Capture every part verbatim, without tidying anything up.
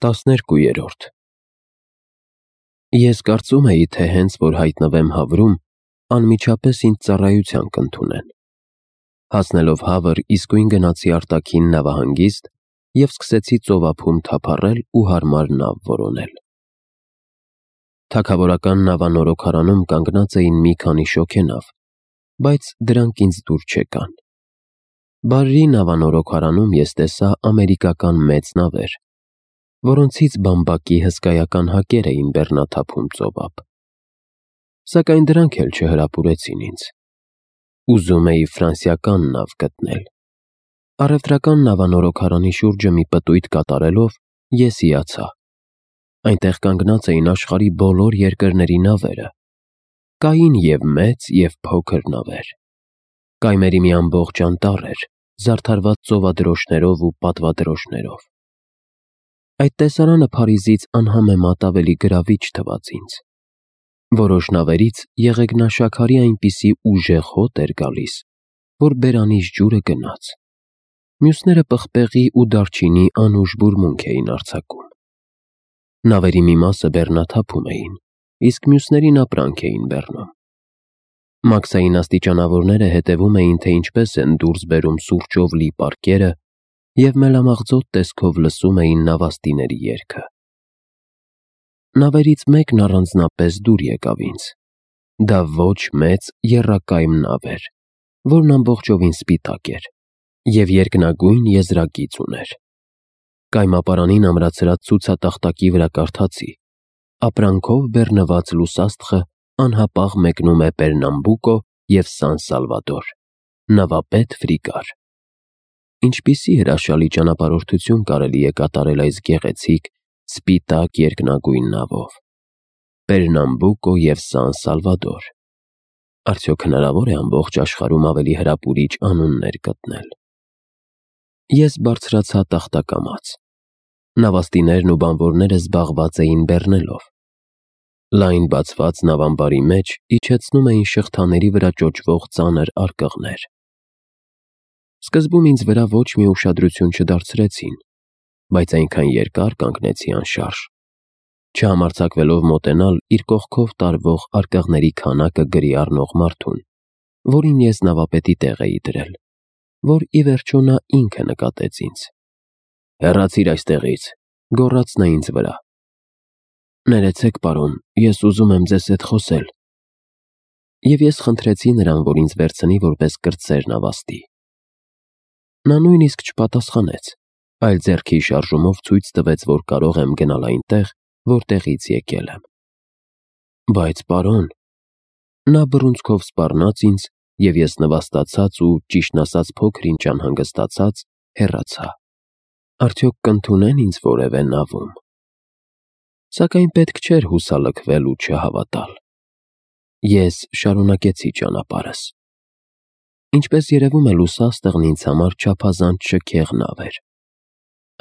Տասներկուերորդ Ես կարծում էի, թե հենց որ հայտնվեմ Հավրում, անմիջապես ինձ ծառայության կընդունեն։ Հասնելով Հավր, իսկույն գնացի արտաքին նավահանգիստ և սկսեցի ծովափում թափառել ու հարմար նավ որոնել։ Թագավորական նավանորոգարանում կանգնած էին մի քանի շոգենավ, բայց դրանք ինձ դուր չեկան։ Բարրի նավանորոգարանում ես տեսա ամերիկական մեծ նավեր, որոնցից բամբակի հսկայական հակեր էին բեռնաթափում ծովափ։ Սակայն դրանք էլ չհրապուրեցին ինձ։ Ուզում էի ֆրանսիական նավ գտնել։ Առևտրական նավանորոգարանի շուրջը մի պտույտ կատարելով ես հիացա։ Այնտեղ կանգնած էին աշխարհի բոլոր երկրների նավերը։ Կային և մեծ, և փոքր նավեր։ Կայմերի մի ամբողջ անտառ էր, զարդարված ծովադրոշներով ու պատվադրոշներով։ Այդ տեսարանը Փարիզից անհամեմատ ավելի գրավիչ թվաց ինձ։ Որոշ նավերից եղեգնաշաքարի այնպիսի ուժեղ հոտ էր գալիս, որ բերանից ջուրը գնաց։ Մյուսները պղպեղի ու դարչինի անուշ բուրմունք էին արձակում։ Նավերի մի մասը բեռնաթափում էին, իսկ մյուսներին ապրանք էին բեռնում։ Մաքսային աստիճանավորները հետևում էին, թե ինչպես են դուրս բերում սուրճով լի պարկերը և մելամաղձոտ տեսքով լսում էին նավաստիների երգը։ Նավերից մեկն առանձնապես դուր եկավ ինձ։ Դա ոչ մեծ, եռակայմ նավ էր, որն ամբողջովին սպիտակ էր և երկնագույն եզրագիծ ուներ։ Կայմապարանին ամրացրած ցուցատախտակի վրա կարդացի. «Ապրանքով բեռնված լուսաստղը անհապաղ մեկնում է Պերնամբուկո և Սան Սալվադոր, նավապետ Ֆրիկար»։ Ինչպիսի հրաշալի ճանապարհորդություն կարելի է կատարել այս գեղեցիկ, սպիտակ երկնագույն նավով։ Պերնամբուկո և Սան Սալվադոր։ Արդյոք հնարավոր է ամբողջ աշխարհում ավելի հրապուրիչ անուններ գտնել։ Ես բարձրացա տախտակամաց։ Նավաստիներն ու բանվորները զբաղված էին բեռնելով։ Լայն բացված նավամբարի մեջ իջեցնում էին շղթաների վրա ճոճվող ծանր արկղներ։ Սկզբում ինձ վրա ոչ մի ուշադրություն չդարձրեցին, բայց այնքան երկար կանգնեցի անշարժ, չհամարձակվելով մոտենալ իր կողքով տարվող արկղների քանակը գրի առնող մարդուն, որին ես նավապետի տեղ էի դրել, որ ի վերջո նա ինքը նկատեց ինձ։ «Հեռացիր այստեղից», գոռաց նա ինձ վրա։ «Ներեցեք, պարոն, ես ուզում եմ ձեզ հետ խոսել»։ Եվ ես խնդրեցի նրան, որ ինձ վերցնի որպես կրտսեր նավաստի։ Նա նույնիսկ չպատասխանեց, այլ ձեռքի շարժումով ցույց տվեց, որ կարող եմ գնալ այնտեղ, որտեղից եկել եմ։ «Բայց, պարոն…» Նա բռունցքով սպառնաց ինձ, և ես նվաստացած ու, ճիշտն ասած, փոքր-ինչ անհանգստացած, հեռացա։ Արդյոք կընդունե՞ն ինձ որևէ նավում։ Սակայն պետք չէր հուսալքվել ու չհավատալ։ Ես շարունակեցի ճանապարհս։ Ինչպես երևում է, լուսաստղն ինձ համար չափազանց շքեղ նավ էր։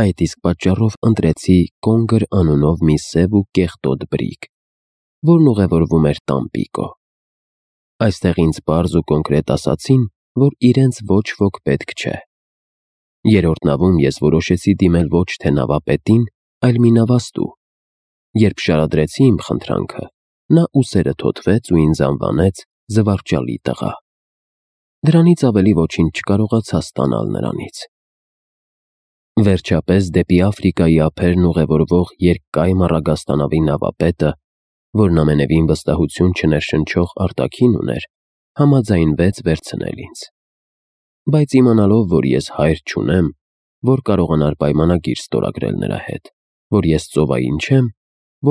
Այդ իսկ պատճառով ընտրեցի Կոնգր անունով մի սև ու կեղտոտ բրիգ, որն ուղևորվում էր Տամպիկո։ Այստեղ ինձ պարզ ու կոնկրետ ասացին, որ իրենց ոչ ոք պետք չէ։ Երրորդ նավում ես որոշեցի դիմել ոչ թե նավապետին, այլ մի նավաստու։ Երբ շարադրեցի իմ խնդրանքը, նա ուսերը թոթվեց ու ինձ անվանեց զվարճալի տղա։ Դրանից ավելի ոչինչ չկարողացա ստանալ նրանից։ Վերջապես դեպի Աֆրիկայի ափերն ուղևորվող երկկայմ առագաստանավի նավապետը, որն ամենևին վստահություն չներշնչող արտաքին ուներ, համաձայնվեց վերցնել ինձ։ Բայց իմանալով, որ ես հայր չունեմ, որ կարողանար պայմանագիր ստորագրել նրա հետ, որ ես ծովային չեմ,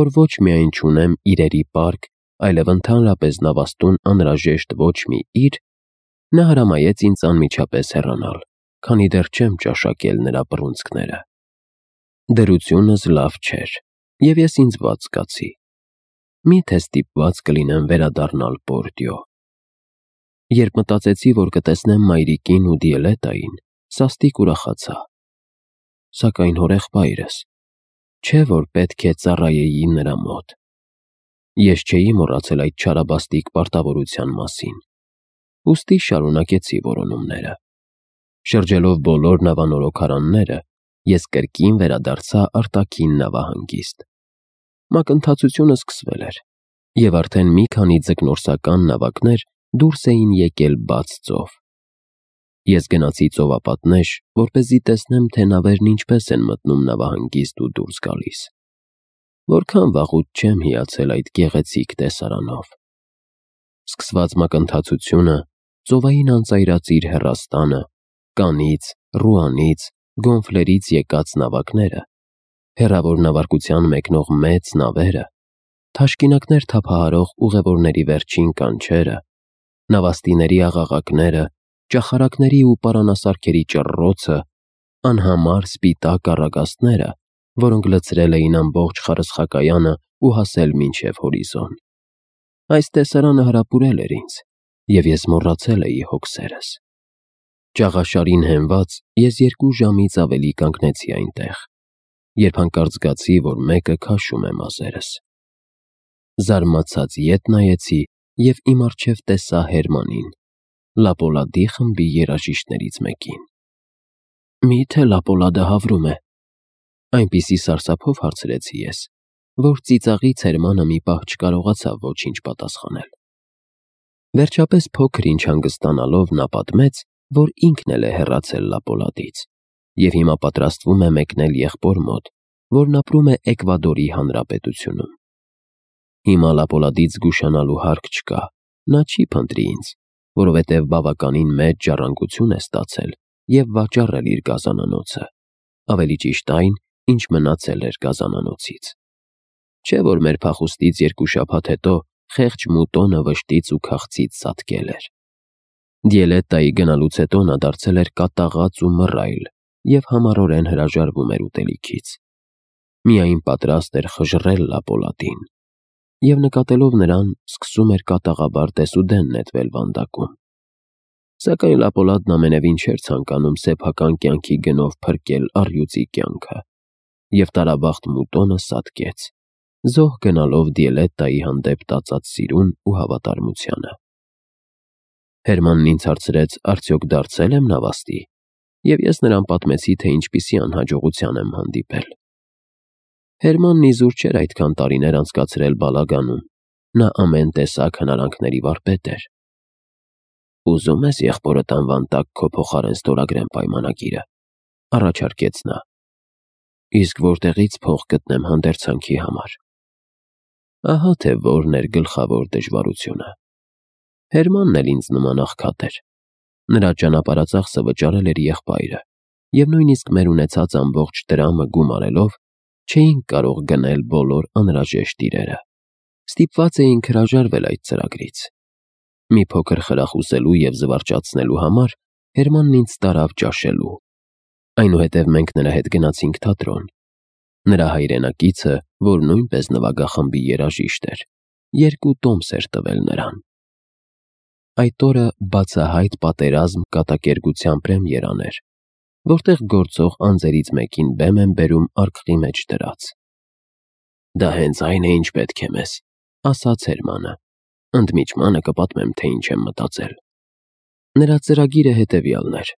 որ ոչ միայն չունեմ իրերի պարկ, այլև ընդհանրապես նավաստուն անհրաժեշտ ոչ մի իր, նա հրամայեց ինձ անմիջապես հեռանալ, քանի դեռ չեմ ճաշակել նրա բռունցքները։ Դրությունս լավ չէր, և ես ինձ վատ զգացի։ Մի՞թե ստիպված կլինեմ վերադառնալ Պորտիո։ Երբ մտածեցի, որ կտեսնեմ մայրիկին ու Դիելետային, սաստիկ ուրախացա։ Սակայն հորեղբայրս… Չէ՞ որ պետք է ծառայեի նրա մոտ։ Ես չէի մոռացել այդ չարաբաստիկ պարտավորության մասին։ Ուստի շարունակեցի որոնումները։ Շրջելով բոլոր նավանորոգարանները, ես կրկին վերադարձա արտաքին նավահանգիստ։ Մակընթացությունը սկսվել էր, և արդեն մի քանի ձկնորսական նավակներ դուրս էին եկել բաց ծով։ Ես գնացի ծովապատնեշ, որպեսզի տեսնեմ, թե նավերն ինչպես են մտնում նավահանգիստ ու դուրս գալիս։ Որքան վաղուց չեմ հիացել այդ գեղեցիկ տեսարանով։ Սկսված մակընթացությունը, ծովային անծայրածիր հեռաստանը, Կանից, Ռուանից, Գոնֆլերից եկած նավակները, հեռավոր նավարկության մեկնող մեծ նավերը, թաշկինակներ թափահարող ուղևորների վերջին կանչերը, նավաստիների աղաղակները, ճախարակների ու պարանասարքերի ճռռոցը, անհամար սպիտակ առագաստները, որոնք լցրել էին ամբողջ խարսխակայանը ու հասել մինչև հորիզոն։ Այս տեսարանը հրապուրել էր ինձ, և ես մոռացել էի հոգսերս։ Ճաղաշարին հենված ես երկու ժամից ավելի կանգնեցի այնտեղ, երբ հանկարծ զգացի, որ մեկը քաշում է մազերս։ Զարմացած ետ նայեցի և իմ առջև տեսա Հերմանին, Լապոլադի խմբի երաժիշտներից մեկին։ Մի՞թե Լապոլադը հավրում է, այնպիսի սարսափով հարցրեցի ես, որ ծիծաղից Հերմանը մի պահ չկարողացավ ոչինչ պատասխանել։ Վերջապես փոքր-ինչ հանգստանալով նա պատմեց, որ ինքն էլ է հեռացել Լապոլադից և հիմա պատրաստվում է մեկնել եղբոր մոտ, որն ապրում է Էկվադորի Հանրապետությունում։ Հիմա Լապոլադից զգուշանալու հարկ չկա, նա չի փնտրի ինձ, որովհետև բավականին մեծ ժառանգություն է ստացել և վաճառել իր գազանանոցը, ավելի ճիշտ այն, ինչ մնացել էր գազանանոցից։ Չէ՞ որ մեր փախուստից երկու շաբաթ հետո խեղճ Մուտոնը վշտից ու քաղցից ծածկել էր։ Դիելետտայի գնալուց հետո նա դարձել էր կատաղած ու մռայլ և համառորեն հրաժարվում էր ուտելիքից։ Միայն պատրաստ էր խժռել Լապոլադին և, նկատելով նրան, սկսում էր կատաղաբար դեսուդեն նետվել վանդակում։ Սակայն Լապոլադն ամենևին չէր ցանկանում սեփական կյանքի գնով փրկել առյուծի կյանքը, և տարաբախտ Մուտոնը սատկեց, զոհ գնալով Դիելետտայի հանդեպ տածած սիրուն ու հավատարմությանը։ Հերմանն ինձ հարցրեց, արդյոք դարձե՞լ եմ նավաստի, և ես նրան պատմեցի, թե ինչպիսի անհաջողության եմ հանդիպել։ Հերմանն իզուր չէր այդքան տարիներ անցկացրել բալագանում, նա ամեն տեսակ հնարանքների վարպետ էր։ Ուզո՞ւմ ես եղբորդ անվան տակ քո փոխարեն ստորագրեմ պայմանագիրը, առաջարկեց նա։ Իսկ որտեղի՞ց փող գտնեմ հանդերձանքի համար։ Ահա թե որն էր գլխավոր դժվարությունը։ Հերմանն էլ ինձ նման աղքատ էր։ Նրա ճանապարհածախսը վճարել էր եղբայրը, և նույնիսկ մեր ունեցած ամբողջ դրամը գումարելով չէինք կարող գնել բոլոր անհրաժեշտ իրերը։ Ստիպված էինք հրաժարվել այդ ծրագրից։ Մի փոքր խրախուսելու և զվարճացնելու համար Հերմանն ինձ տարավ ճաշելու։ Այնուհետև մենք նրա հետ գնացինք թատրոն։ Նրա հայրենակիցը, որ նույնպես նվագախմբի երաժիշտ էր, երկու տոմս էր տվել նրան։ Այդ օրը բացահայտ պատերազմ կատակերգության պրեմիերան էր, որտեղ գործող անձերից մեկին բեմ են բերում արկղի մեջ դրած։ Դա հենց այն է, ինչ պետք է մեզ, ասաց Հերմանը, ընդմիջմանը կպատմեմ, թե ինչ եմ մտածել։ Նրա ծրագիրը հետևյալն էր.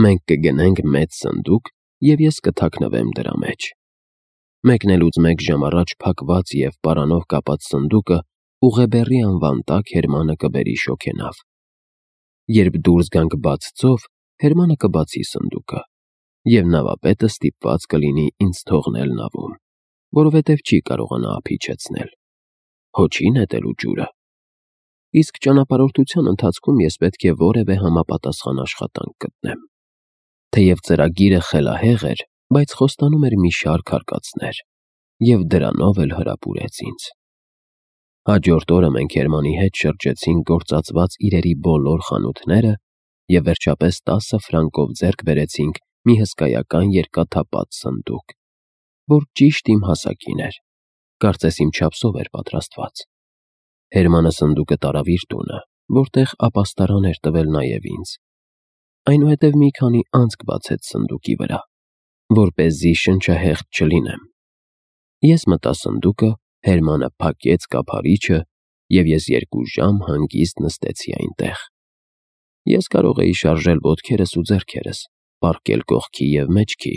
մենք կգնենք մեծ սնդուկ, և ես կթաքնվեմ դրա մեջ։ Մեկնելուց մեկ ժամ առաջ փակված և պարանով կապած սնդուկը Ուղեբեռի անվան տակ Հերմանը կբերի շոգենավ։ Երբ դուրս գանք բաց ծով, Հերմանը կբացի սնդուկը, և նավապետը ստիպված կլինի ինձ թողնել նավում, որովհետև չի կարողանա ափ իջեցնել։ Հո չի նետելու ջուրը։ Իսկ ճանապարհորդության ընթացքում ես պետք է որևէ համապատասխան աշխատանք գտնեմ։ Թեև ծրագիրը խելահեղ էր, բայց խոստանում էր մի շարք արկածներ, և դրանով էլ հրապուրեց ինձ։ Հաջորդ օրը մենք Հերմանի հետ շրջեցինք գործածված իրերի բոլոր խանութները և վերջապես տասը ֆրանկով ձեռք բերեցինք մի հսկայական երկաթափած սնդուկ, որ ճիշտ իմ հասակին էր, կարծես իմ չափսով էր պատրաստված։ Հերմանը սնդուկը տարավ իր տունը, որտեղ ապաստարան էր տվել նաև ինձ։ Այնուհետև մի քանի անցք բացեց սնդուկի վրա, որպեսզի շնչահեղձ չլինեմ։ Ես մտա սնդուկը, Հերմանը փակեց կափարիչը, և ես երկու ժամ հանգիստ նստեցի այնտեղ։ Ես կարող էի շարժել ոտքերս ու ձեռքերս, պառկել կողքի և մեջքի,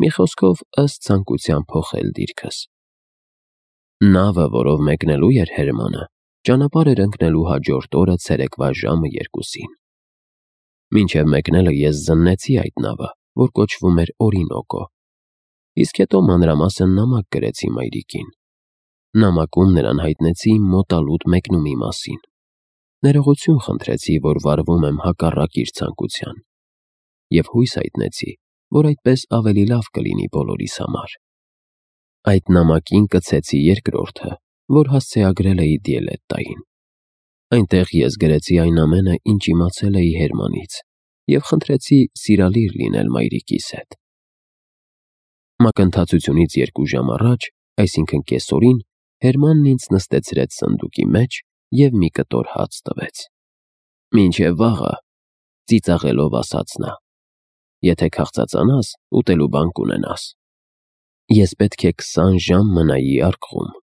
մի խոսքով ըստ ցանկության փոխել դիրքս։ Նավը, որով մեկնելու էր Հերմանը, ճանապարհ էր ընկնելու հաջորդ օրը ցերեկվա ժամը երկուսին։ Մինչև մեկնելը ես զննեցի այդ նավը, որ կոչվում էր Օրինոկո, իսկ հետո մանրամասն նամակ գրեցի մայրիկին։ Նամակում նրան հայտնեցի իմ մոտալուտ մեկնումի մասին։ Ներողություն խնդրեցի, որ վարվում եմ հակառակ իր ցանկության, և հույս հայտնեցի, որ այդպես ավելի լավ կլինի բոլորիս համար։ Այդ նամակին կցեցի երկրորդը, որ հասցեագրել էի Դիելետտային։ Այնտեղ ես գրեցի այն ամենը, ինչ իմացել էի Հերմանից, և խնդրեցի սիրալիր լինել մայրիկիս հետ։ Մակընթացությունից երկու ժամ առաջ, այսինքն կեսօրին, Հերմանն ինձ նստեցրեց սնդուկի մեջ և մի կտոր հաց տվեց։ «Մինչև վաղը», ծիծաղելով ասաց նա, «եթե քաղցածանաս, ուտելու բան կունենաս»։ Ես պետք է քսան ժամ մնայի առքվում։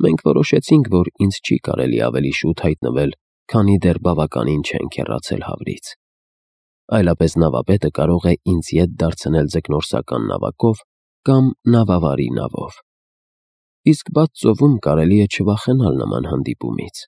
Մենք որոշեցինք, որ ինձ չի կարելի ավելի շուտ հայտնվել, քանի դեռ բավականին չենք հեռացել Հավրից։ Այլապես նավապետը կարող է ինձ ետ դարձնել ձկնորսական նավակով կամ նավավարի նավով։ Իսկ բաց ծովում կարելի է չվախենալ նման հանդիպումից։